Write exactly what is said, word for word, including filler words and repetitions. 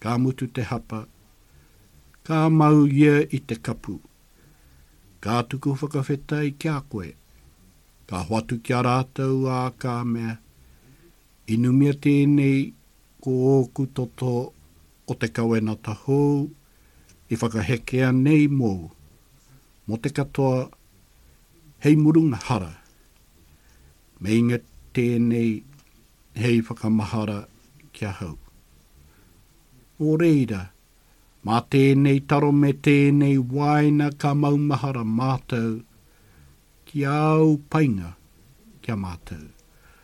Ka mutu te hapa, ka mau ia i te kapu. Ka tuku whakawhetai ki a koe. Ka hoatu ki a rātou ā ka mea, inumia tēnei ko ōku toto o te kawenata hou i whakahekea nei mōu, mō te katoa hei murunga hara. Meinga tēnei hei whakamahara ki ahau. Nō reira, mā tēnei taro me tēnei wāina ka maumahara mātou ki āu painga ki a mātou.